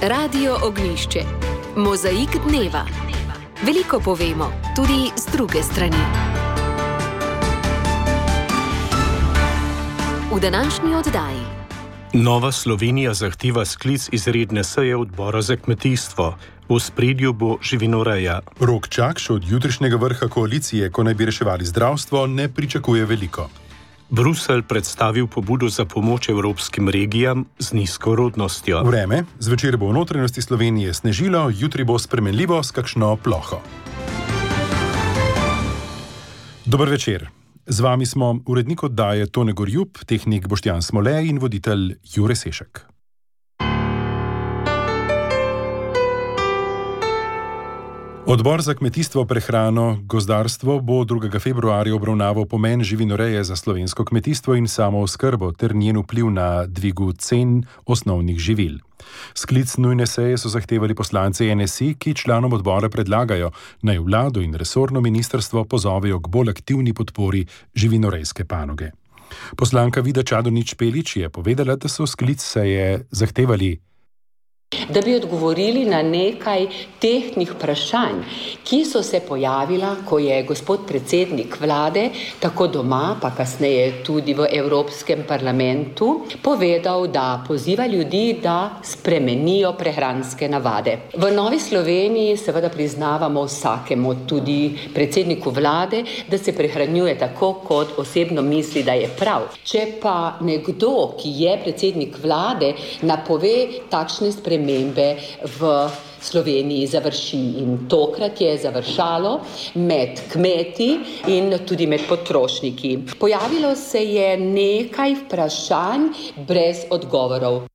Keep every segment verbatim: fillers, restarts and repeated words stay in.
Radio Ognjišče. Mozaik dneva. Veliko povemo, tudi z druge strani. V današnji oddaji. Nova Slovenija zahteva sklic izredne seje odbora za kmetijstvo. V ospredju bo živinoreja. Rok Čakš od jutrišnjega vrha koalicije, ko naj bi reševali zdravstvo, ne pričakuje veliko. Bruselj predstavil pobudo za pomoč evropskim regijam z nizko rodnostjo. Vreme, zvečer bo v notranjosti Slovenije snežilo, jutri bo spremenljivo s kakšno ploho. Dober večer. Z vami smo urednik oddaje Tone Gorjup, tehnik Boštjan Smole in voditelj Jure Sešek. Odbor za kmetijstvo, prehrano, gozdarstvo bo drugega februarja obravnaval pomen živinoreje za slovensko kmetijstvo in samooskrbo ter njen vpliv na dvigu cen osnovnih živil. Sklic nujne seje so zahtevali poslanci N S I, ki članom odbora predlagajo, naj vlado in resorno ministrstvo pozovejo k bolj aktivni podpori živinorejske panoge. Poslanka Vida Čadonič Špelič je povedala, da so sklic seje zahtevali, da bi odgovorili na nekaj tehtnih vprašanj, ki so se pojavila, ko je gospod predsednik vlade, tako doma, pa kasneje tudi v Evropskem parlamentu, povedal, da poziva ljudi, da spremenijo prehranske navade. V Novi Sloveniji seveda priznavamo vsakemu, tudi predsedniku vlade, da se prehranjuje tako, kot osebno misli, da je prav. Če pa nekdo, ki je predsednik vlade, napove takšne spremembe, v Sloveniji završi in tokrat je završalo med kmeti in tudi med potrošniki. Pojavilo se je nekaj vprašanj brez odgovorov.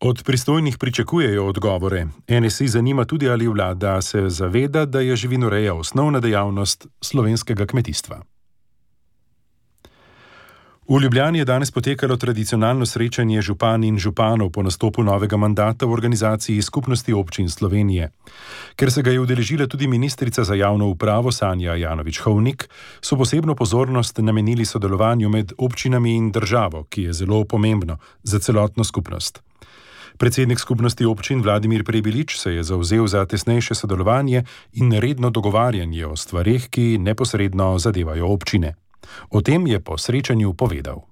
Od pristojnih pričakujejo odgovore. N S I zanima tudi, ali vlada se zaveda, da je živinoreja osnovna dejavnost slovenskega kmetijstva. V Ljubljani je danes potekalo tradicionalno srečanje župan in županov po nastopu novega mandata v organizaciji Skupnosti občin Slovenije. Ker se ga je udeležila tudi ministrica za javno upravo Sanja Ajanović-Hovnik, so posebno pozornost namenili sodelovanju med občinami in državo, ki je zelo pomembno za celotno skupnost. Predsednik Skupnosti občin Vladimir Prebilič se je zavzel za tesnejše sodelovanje in redno dogovarjanje o stvareh, ki neposredno zadevajo občine. O tem je po srečanju povedal.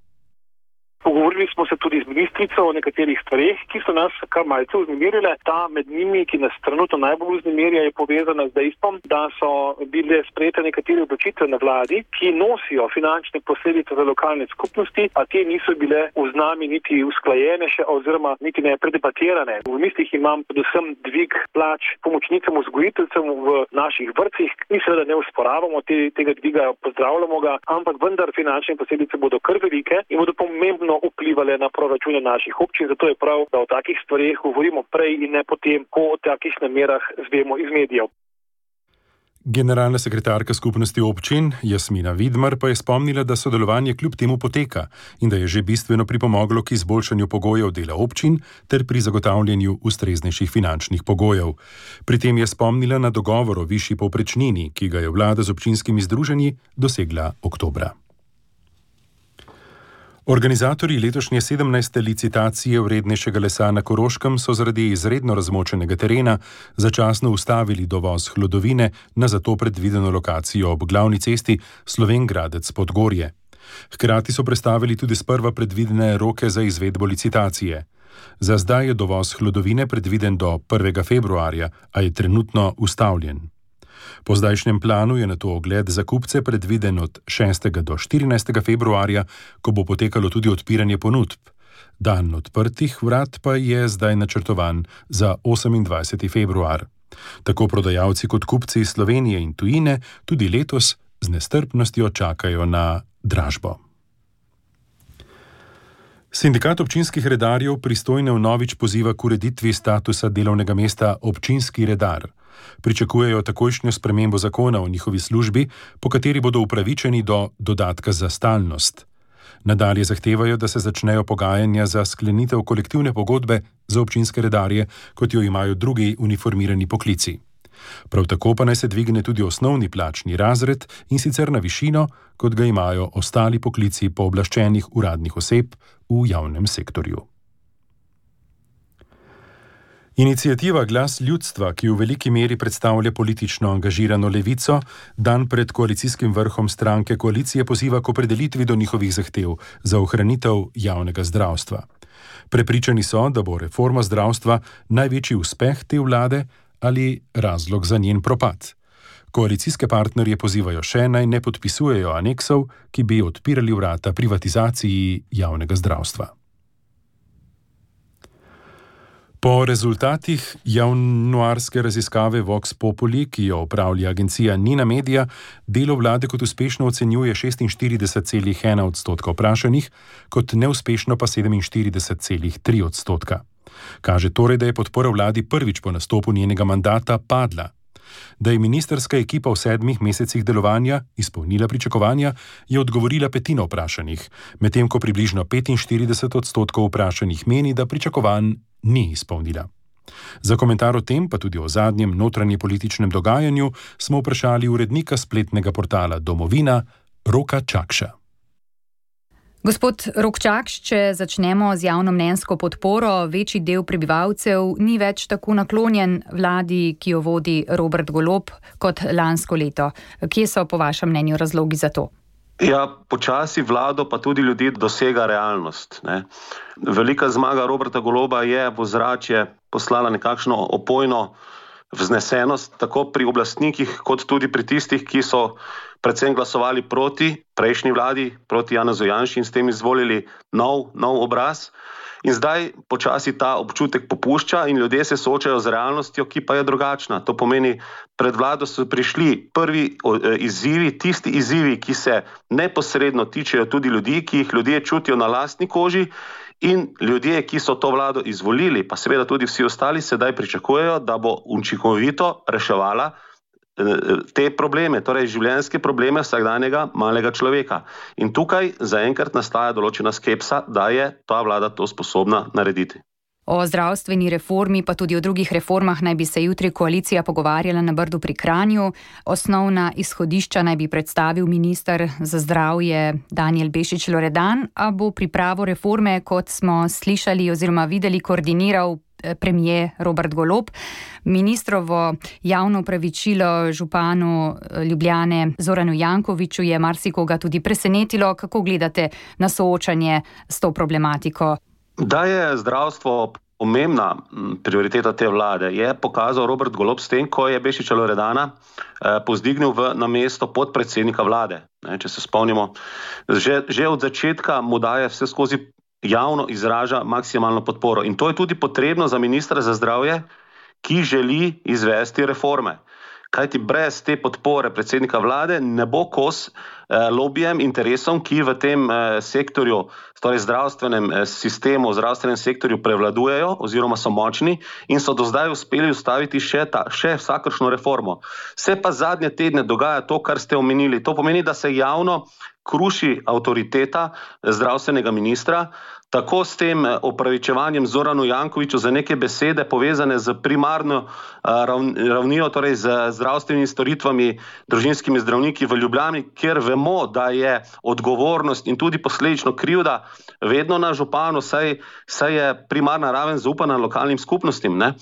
Pogovorili smo se tudi z ministrico o nekaterih stvareh, ki so nas kar malce vznemirile. Ta med njimi, ki nas trenutno najbolj vznemirja, je povezana z dejstvom, da so bile sprejete nekatere odločitve na vladi, ki nosijo finančne posledice za lokalne skupnosti, a te niso bile v nami niti usklajene še oziroma niti ne predebatirane. V mislih imam predvsem dvig plač pomočnicam vzgojiteljcem v naših vrtcih. Mi seveda ne usporavamo te, tega dviga, pozdravljamo ga, ampak vendar finančne posledice bodo kar velike in bodo pomembno vplivale na proračune naših občin, zato je prav, da o takih stvareh govorimo prej in ne potem, ko o takih namerah zvemo iz medijev. Generalna sekretarka Skupnosti občin Jasmina Vidmar pa je spomnila, da sodelovanje kljub temu poteka in da je že bistveno pripomoglo k izboljšanju pogojev dela občin ter pri zagotavljanju ustreznejših finančnih pogojev. Pri tem je spomnila na dogovor o višji povprečnini, ki ga je vlada z občinskimi združenji dosegla oktobra. Organizatorji letošnje sedemnajste licitacije vrednejšega lesa na Koroškem so zaradi izredno razmočenega terena začasno ustavili dovoz hlodovine na zato predvideno lokacijo ob glavni cesti Slovenj-Gradec-Podgorje. Hkrati so prestavili tudi sprva predvidene roke za izvedbo licitacije. Za zdaj je dovoz hlodovine predviden do prvega februarja, a je trenutno ustavljen. Po zdajšnjem planu je nato ogled za kupce predviden od šestega do štirinajstega februarja, ko bo potekalo tudi odpiranje ponudb. Dan odprtih vrat pa je zdaj načrtovan za osemindvajseti februar. Tako prodajalci kot kupci iz Slovenije in tujine tudi letos z nestrpnostjo čakajo na dražbo. Sindikat občinskih redarjev pristojne vnovič poziva k ureditvi statusa delovnega mesta občinski redar. Pričakujejo takojšnjo spremembo zakona o njihovi službi, po kateri bodo upravičeni do dodatka za stalnost. Nadalje zahtevajo, da se začnejo pogajanja za sklenitev kolektivne pogodbe za občinske redarje, kot jo imajo drugi uniformirani poklici. Prav tako pa naj se dvigne tudi osnovni plačni razred in sicer na višino, kot ga imajo ostali poklici pooblaščenih uradnih oseb v javnem sektorju. Iniciativa Glas ljudstva, ki v veliki meri predstavlja politično angažirano levico, dan pred koalicijskim vrhom stranke koalicije poziva k opredelitvi do njihovih zahtev za ohranitev javnega zdravstva. Prepričani so, da bo reforma zdravstva največji uspeh te vlade ali razlog za njen propad. Koalicijske partnerje pozivajo še, naj ne podpisujejo aneksov, ki bi odpirali vrata privatizaciji javnega zdravstva. Po rezultatih januarske raziskave Vox Populi, ki jo opravlja agencija Nina Media, delo vlade kot uspešno ocenjuje šestinštirideset celih ena odstotka vprašanih, kot neuspešno pa sedeminštirideset celih tri odstotka. Kaže torej, da je podpora vladi prvič po nastopu njenega mandata padla. Da je ministrska ekipa v sedmih mesecih delovanja izpolnila pričakovanja, je odgovorila petina vprašanih, medtem ko približno petinštirideset odstotkov vprašanih meni, da pričakovanj ni izpolnila. Za komentar o tem, pa tudi o zadnjem notranjepolitičnem dogajanju, smo vprašali urednika spletnega portala Domovina, Roka Čakša. Gospod Rok Čakš, če začnemo z javnomnenjsko podporo, večji del prebivalcev ni več tako naklonjen vladi, ki jo vodi Robert Golob, kot lansko leto. Kje so po vašem mnenju razlogi za to? Ja, počasi vlado pa tudi ljudi dosega realnost. Ne. Velika zmaga Roberta Goloba je v ozračje poslala nekakšno opojno vznesenost, tako pri oblastnikih, kot tudi pri tistih, ki so predvsem glasovali proti prejšnji vladi, proti Janezu Janši in s tem izvolili nov, nov obraz. In zdaj počasi ta občutek popušča in ljudje se soočajo z realnostjo, ki pa je drugačna. To pomeni, pred vlado so prišli prvi izzivi, tisti izzivi, ki se neposredno tičejo tudi ljudi, ki jih ljudje čutijo na lastni koži, in ljudje, ki so to vlado izvolili, pa seveda tudi vsi ostali, sedaj pričakujejo, da bo učinkovito reševala te probleme, torej življenjske probleme vsakdanjega malega človeka. In tukaj zaenkrat nastaja določena skepsa, da je ta vlada to sposobna narediti. O zdravstveni reformi, pa tudi o drugih reformah naj bi se jutri koalicija pogovarjala na Brdu pri Kranju. Osnovna izhodišča naj bi predstavil minister za zdravje Danijel Bešič Loredan, a bo pripravo reforme, kot smo slišali oziroma videli, koordiniral premier Robert Golob. Ministrovo javno opravičilo županu Ljubljane Zoranu Jankoviću je marsikoga tudi presenetilo. Kako gledate na soočanje s to problematiko? Da je zdravstvo pomembna prioriteta te vlade, je pokazal Robert Golob s tem, ko je Bešiča Loredana eh, povzdignil v, na mesto podpredsednika vlade. Ne, če se spomnimo, že, že od začetka mu daje vse skozi javno izraža maksimalno podporo. In to je tudi potrebno za ministra za zdravje, ki želi izvesti reforme. Kajti brez te podpore predsednika vlade ne bo kos eh, lobijem, interesom, ki v tem eh, sektorju, torej zdravstvenem eh, sistemu, zdravstvenem sektorju prevladujejo oziroma so močni in so do zdaj uspeli ustaviti še, ta, še vsakršno reformo. Se pa zadnje tedne dogaja to, kar ste omenili. To pomeni, da se javno kruši avtoriteta zdravstvenega ministra, tako s tem opravičevanjem Zoranu Jankoviću za neke besede povezane z primarno ravnijo, torej z zdravstvenimi storitvami, družinskimi zdravniki v Ljubljani, kjer vemo, da je odgovornost in tudi posledično krivda vedno na županu, saj, saj je primarna raven zaupana lokalnim skupnostim. Ne?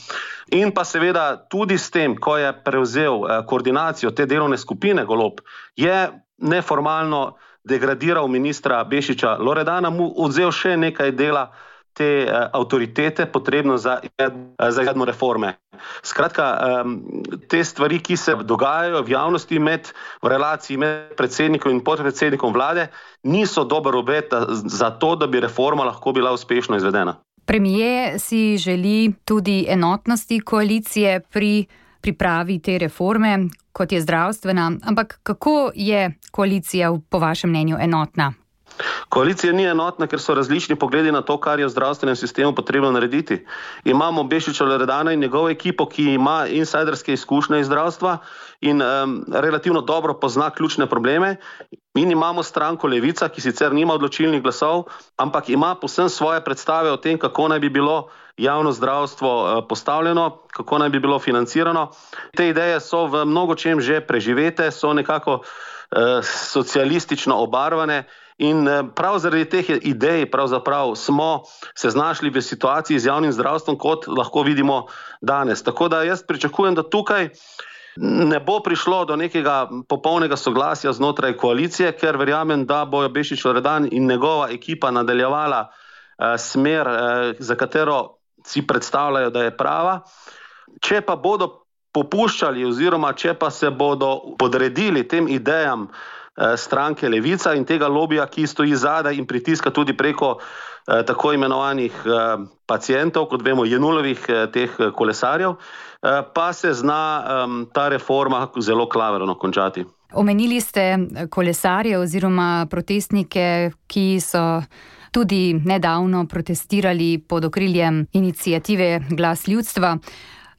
In pa seveda tudi s tem, ko je prevzel koordinacijo te delovne skupine Golob, je neformalno degradiral ministra Bešiča Loredana, mu odzel še nekaj dela te uh, avtoritete, potrebno za, za jedno reforme. Skratka, um, te stvari, ki se dogajajo v javnosti med, v relaciji med predsednikom in podpredsednikom vlade, niso dober obet za to, da bi reforma lahko bila uspešno izvedena. Premier si želi tudi enotnosti koalicije pri pripravi te reforme, kot je zdravstvena, ampak kako je koalicija po vašem mnenju enotna? Koalicija ni enotna, ker so različni pogledi na to, kar je v zdravstvenem sistemu potrebno narediti. Imamo Bešiča Loredana in njegovo ekipo, ki ima insajderske izkušnje iz zdravstva in um, relativno dobro pozna ključne probleme. In imamo stranko Levica, ki sicer nima odločilnih glasov, ampak ima povsem svoje predstave o tem, kako naj bi bilo javno zdravstvo postavljeno, kako naj bi bilo financirano. Te ideje so v mnogočem že preživete, so nekako eh, socialistično obarvane In prav zaradi teh idej pravzaprav smo se znašli v situaciji z javnim zdravstvom, kot lahko vidimo danes. Tako da jaz pričakujem, da tukaj ne bo prišlo do nekega popolnega soglasja znotraj koalicije, ker verjamem, da bojo Bešič Loredan in njegova ekipa nadaljevala eh, smer, eh, za katero si predstavljajo, da je prava. Če pa bodo popuščali oziroma če pa se bodo podredili tem idejam eh, stranke Levica in tega lobija, ki stoji zadaj in pritiska tudi preko eh, tako imenovanih eh, pacientov, kot vemo, Jenulovih eh, teh kolesarjev, eh, pa se zna eh, ta reforma zelo klavrno končati. Omenili ste kolesarje oziroma protestnike, ki so tudi nedavno protestirali pod okriljem iniciative Glas ljudstva,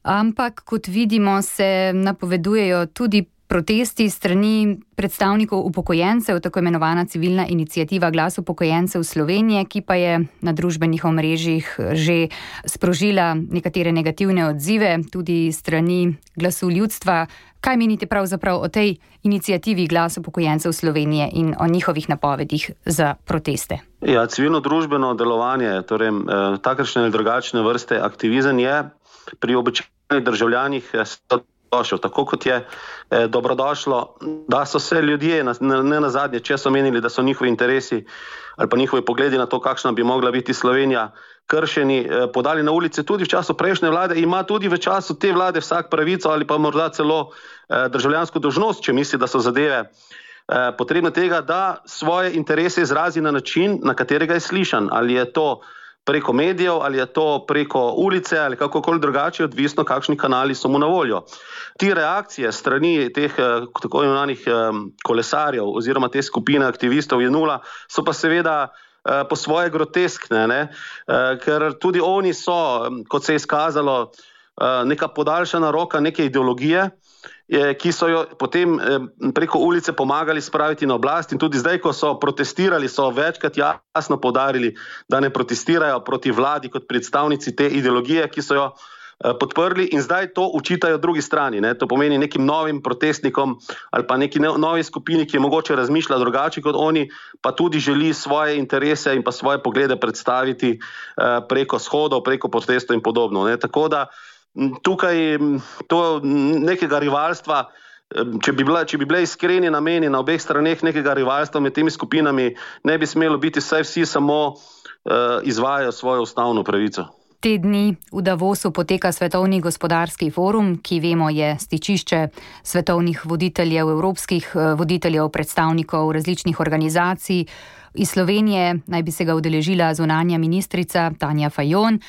ampak kot vidimo se napovedujejo tudi protesti strani predstavnikov upokojencev, tako imenovana civilna iniciativa Glas upokojencev Slovenije, ki pa je na družbenih omrežjih že sprožila nekatere negativne odzive tudi strani Glasu ljudstva. Kaj menite pravzaprav o tej iniciativi Glas upokojencev Slovenije in o njihovih napovedih za proteste? Ja, civilno-družbeno delovanje, torej eh, takršne ali drugačne vrste aktivizem je pri običajnih državljanih dobrodošel. Tako kot je eh, dobrodošlo, da so se ljudje, ne na zadnje, če so menili, da so njihovi interesi ali pa njihovi pogledi na to, kakšna bi mogla biti Slovenija, kršeni, eh, podali na ulice tudi v času prejšnje vlade, ima tudi v času te vlade vsak pravico ali pa morda celo eh, državljansko dolžnost, če misli, da so zadeve eh, potrebne tega, da svoje interese izrazi na način, na katerega je slišan. Ali je to preko medijev, ali je to preko ulice, ali kakokoli drugače, odvisno, kakšni kanali so mu na voljo. Ti reakcije strani teh tako imenovanih kolesarjev oziroma te skupine aktivistov Jenula so pa seveda po svoje groteskne, ne? Ker tudi oni so, kot se je izkazalo, neka podaljšana roka neke ideologije, ki so jo potem preko ulice pomagali spraviti na oblast, in tudi zdaj, ko so protestirali, so večkrat jasno poudarili, da ne protestirajo proti vladi kot predstavnici te ideologije, ki so jo podprli, in zdaj to učitajo drugi strani. Ne? To pomeni nekim novim protestnikom ali pa neki novi skupini, ki je mogoče razmišlja drugače kot oni, pa tudi želi svoje interese in pa svoje poglede predstaviti preko shodov, preko protestov in podobno. Ne? Tako da tukaj to nekega rivalstva, če bi, bila, če bi bile iskreni nameni na obeh straneh nekega rivalstva med temi skupinami, ne bi smelo biti, saj vsi samo uh, izvajajo svojo ustavno pravico. Te dni v Davosu poteka Svetovni gospodarski forum, ki vemo je stičišče svetovnih voditeljev, evropskih voditeljev, predstavnikov različnih organizacij. Iz Slovenije naj bi se ga udeležila zunanja ministrica Tanja Fajon.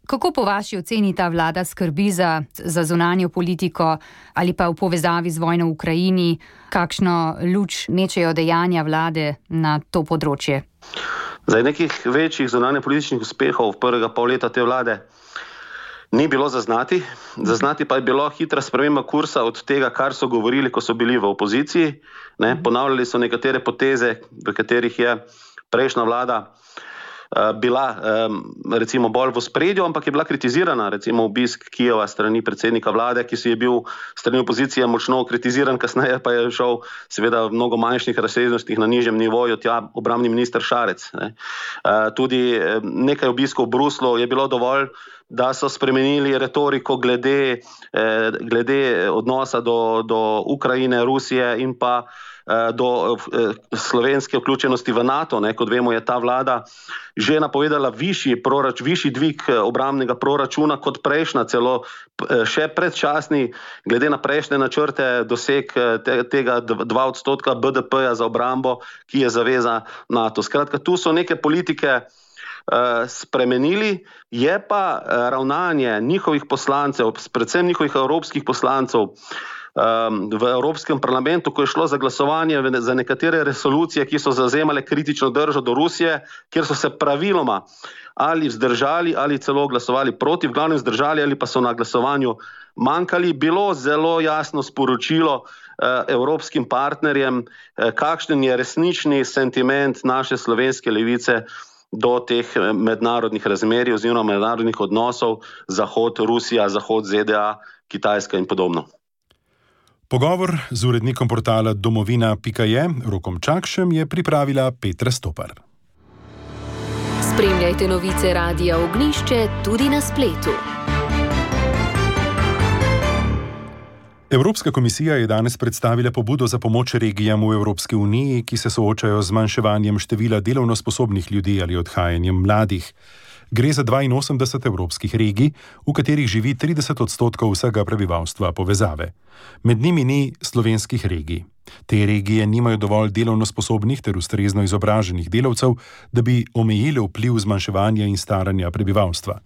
Kako po vaši oceni ta vlada skrbi za, za zunanjo politiko ali pa v povezavi z vojno v Ukrajini, kakšno luč mečejo dejanja vlade na to področje? Zdaj, nekih večjih zunanje političnih uspehov prvega pol leta te vlade ni bilo zaznati. Zaznati pa je bilo hitra sprememba kursa od tega, kar so govorili, ko so bili v opoziciji. Ne? Ponavljali so nekatere poteze, v katerih je prejšnja vlada bila recimo bolj v ospredju, ampak je bila kritizirana, recimo obisk Kijeva strani predsednika vlade, ki si je bil strani opozicije močno kritiziran, kasneje pa je šel seveda v mnogo manjših razsežnostih na nižjem nivoju tja obrambni minister Šarec. Ne. Tudi nekaj obiskov v Bruslu je bilo dovolj, da so spremenili retoriko glede, glede odnosa do, do Ukrajine, Rusije in pa do slovenske vključenosti v NATO. Ne. Kot vemo, je ta vlada že napovedala višji, prorač, višji dvig obrambnega proračuna kot prejšnja, celo še predčasni, glede na prejšnje načrte, doseg te, tega dva odstotka B D P-ja za obrambo, ki je zaveza NATO. Skratka, tu so neke politike spremenili, je pa ravnanje njihovih poslancev, predvsem njihovih evropskih poslancev, v Evropskem parlamentu, ko je šlo za glasovanje za nekatere resolucije, ki so zavzemale kritično držo do Rusije, kjer so se praviloma ali vzdržali ali celo glasovali proti, v glavnem vzdržali ali pa so na glasovanju manjkali, bilo zelo jasno sporočilo evropskim partnerjem, kakšen je resnični sentiment naše slovenske levice do teh mednarodnih razmerij oziroma mednarodnih odnosov Zahod, Rusija, Zahod, Z D A, Kitajska in podobno. Pogovor z urednikom portala domovina pika je Rokom Čakšem je pripravila Petra Stopar. Spremljajte novice Radia Ognjišče tudi na spletu. Evropska komisija je danes predstavila pobudo za pomoč regijam v Evropski uniji, ki se soočajo z zmanjševanjem števila delovno sposobnih ljudi ali odhajanjem mladih. Gre za dvainosemdeset evropskih regij, v katerih živi trideset odstotkov vsega prebivalstva povezave. Med njimi ni slovenskih regij. Te regije nimajo dovolj delovno sposobnih ter ustrezno izobraženih delavcev, da bi omejile vpliv zmanjševanja in staranja prebivalstva.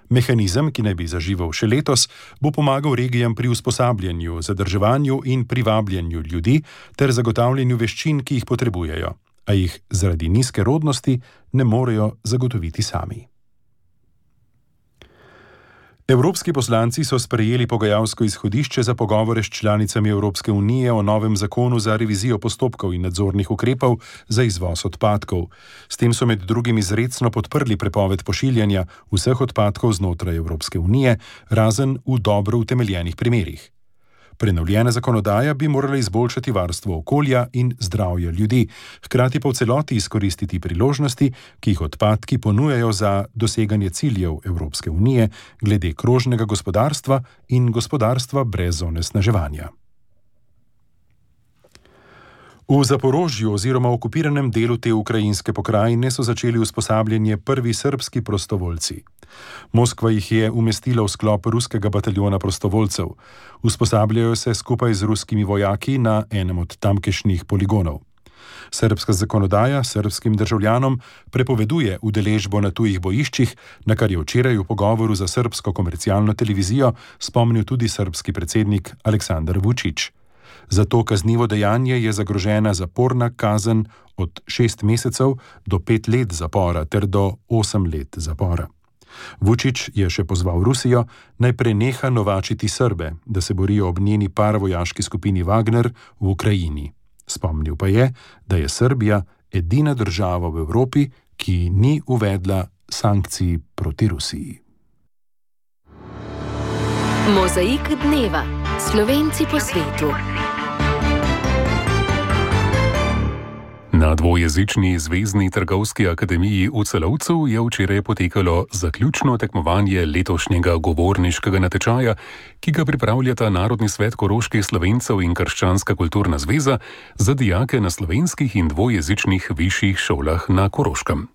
Mehanizem, ki naj bi zaživel še letos, bo pomagal regijam pri usposabljanju, zadrževanju in privabljanju ljudi ter zagotavljanju veščin, ki jih potrebujejo, a jih zaradi nizke rodnosti ne morejo zagotoviti sami. Evropski poslanci so sprejeli pogajalsko izhodišče za pogovore s članicami Evropske unije o novem zakonu za revizijo postopkov in nadzornih ukrepov za izvoz odpadkov. S tem so med drugim izrecno podprli prepoved pošiljanja vseh odpadkov znotraj Evropske unije, razen v dobro utemeljenih primerih. Prenovljena zakonodaja bi morala izboljšati varstvo okolja in zdravja ljudi, hkrati pa v celoti izkoristiti priložnosti, ki jih odpadki ponujajo za doseganje ciljev Evropske unije glede krožnega gospodarstva in gospodarstva brez onesnaževanja. V Zaporožju oziroma okupiranem delu te ukrajinske pokrajine so začeli usposabljanje prvi srbski prostovoljci. Moskva jih je umestila v sklop ruskega bataljona prostovoljcev. Usposabljajo se skupaj z ruskimi vojaki na enem od tamkajšnjih poligonov. Srbska zakonodaja srbskim državljanom prepoveduje udeležbo na tujih bojiščih, na kar je včeraj v pogovoru za srbsko komercialno televizijo spomnil tudi srbski predsednik Aleksandar Vučić. Za to kaznivo dejanje je zagrožena zaporna kazen od šest mesecev do pet let zapora ter do osem let zapora. Vučić je še pozval Rusijo, naj preneha novačiti Srbe, da se borijo ob njeni paravojaški skupini Wagner v Ukrajini. Spomnil pa je, da je Srbija edina država v Evropi, ki ni uvedla sankcij proti Rusiji. Mozaik dneva. Slovenci po svetu. Na dvojezični Zvezni trgovski akademiji v Celovcu je včeraj potekalo zaključno tekmovanje letošnjega govorniškega natečaja, ki ga pripravljata Narodni svet koroških Slovencev in Krščanska kulturna zveza za dijake na slovenskih in dvojezičnih višjih šolah na Koroškem.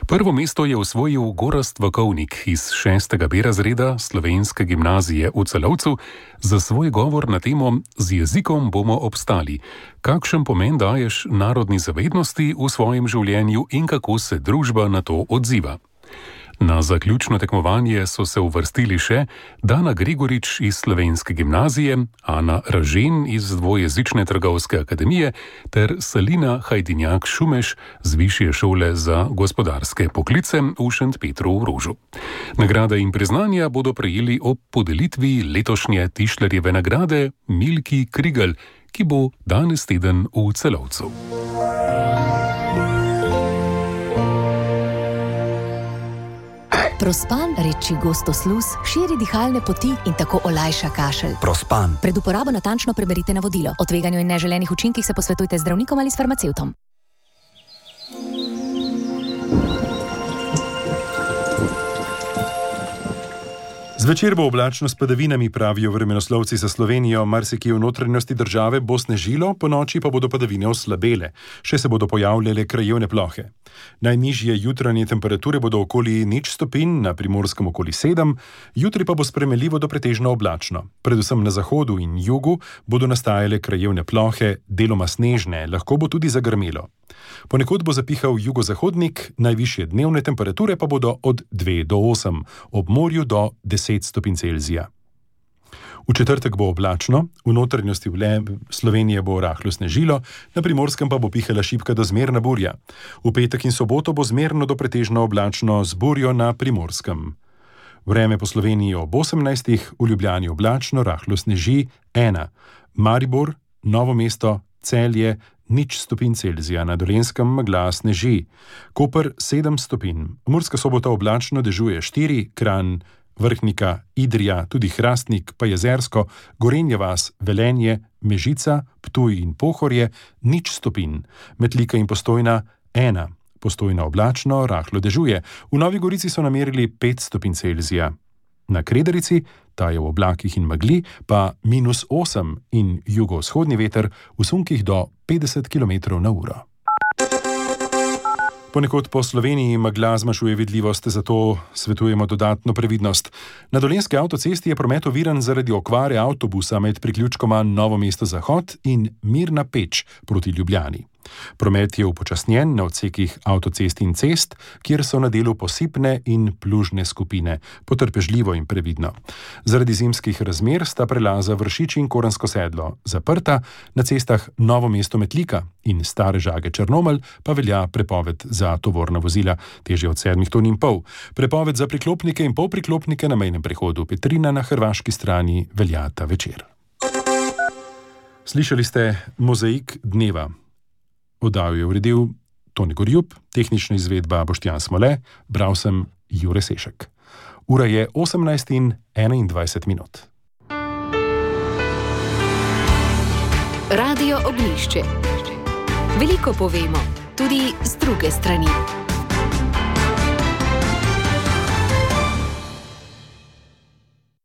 Prvo mesto je osvojil Gorazd Vakovnik iz šestega B razreda Slovenske gimnazije v Celovcu za svoj govor na temo Z jezikom bomo obstali. Kakšen pomen daješ narodni zavednosti v svojem življenju in kako se družba na to odziva? Na zaključno tekmovanje so se uvrstili še Dana Gregorič iz Slovenske gimnazije, Ana Ražen iz dvojezične trgovske akademije ter Salina Hajdinjak Šumeš z Višje šole za gospodarske poklice v Šentpetru v Rožu. Nagrade in priznanja bodo prejeli ob podelitvi letošnje Tišlerjeve nagrade Milki Krigl, ki bo danes teden v Celovcu. Prospan, reči gostosluz, širi dihalne poti in tako olajša kašelj. Prospan. Pred uporabo natančno preberite navodilo. O tveganju in neželenih učinkih se posvetujte z zdravnikom ali s farmacevtom. Zvečer bo oblačno s padavinami, pravijo vremenoslovci za Slovenijo, marsikje v notranjosti države bo snežilo, ponoči pa bodo padavine oslabele, še se bodo pojavljale krajevne plohe. Najnižje jutranje temperature bodo okoli nič stopinj, na Primorskem okoli sedem, jutri pa bo spremenljivo do pretežno oblačno. Predvsem na zahodu in jugu bodo nastajale krajevne plohe, deloma snežne, lahko bo tudi zagrmelo. Ponekod bo zapihal jugozahodnik, najvišje dnevne temperature pa bodo od dve do osem, ob morju do deset stopinj Celzija. V četrtek bo oblačno, v notranjosti Slovenije bo rahlo snežilo, na Primorskem pa bo pihala šibka do zmerna burja. V petek in soboto bo zmerno do pretežno oblačno z burjo na Primorskem. Vreme po Sloveniji ob osemnajstih, v Ljubljani oblačno, rahlo sneži ena. Maribor, Novo mesto, Celje, nič stopinj Celzija, na Dolenjskem megla sneži. Koper sedem stopinj. Murska Sobota oblačno, dežuje štiri, Kranj Vrhnika, Idrija, tudi Hrastnik, pa Jezersko, Gorenje vas, Velenje, Mežica, Ptuj in Pohorje, nič stopinj. Metlika in Postojna, ena. Postojna oblačno, rahlo dežuje. V Novi Gorici so namerili pet stopinj Celzija. Na Kredarici, ta je v oblakih in megli, pa minus osem in jugovzhodni veter v sunkih do petdeset kilometrov na uro. Ponekod po Sloveniji megla zmanjšuje vidljivost, zato svetujemo dodatno previdnost. Na Dolenjski avtocesti je promet oviran zaradi okvare avtobusa med priključkoma Novo mesto Zahod in Mirna Peč proti Ljubljani. Promet je upočasnjen na odsekih avtocest in cest, kjer so na delu posipne in plužne skupine, potrpežljivo in previdno. Zaradi zimskih razmer sta prelaza Vršič in Koransko sedlo zaprta, na cestah Novo mesto Metlika in Stare Žage Črnomelj pa velja prepoved za tovorna vozila, težje od sedmih ton in pol. Prepoved za priklopnike in polpriklopnike na mejnem prehodu Petrina na hrvaški strani velja ta večer. Slišali ste Mozaik dneva. Oddajo je uredil Toni Gorjup, tehnična izvedba Boštjan Smole, bral sem Jure Sešek. Ura je osemnajst in enaindvajset minut. Radio Ognjišče. Veliko povemo, tudi z druge strani.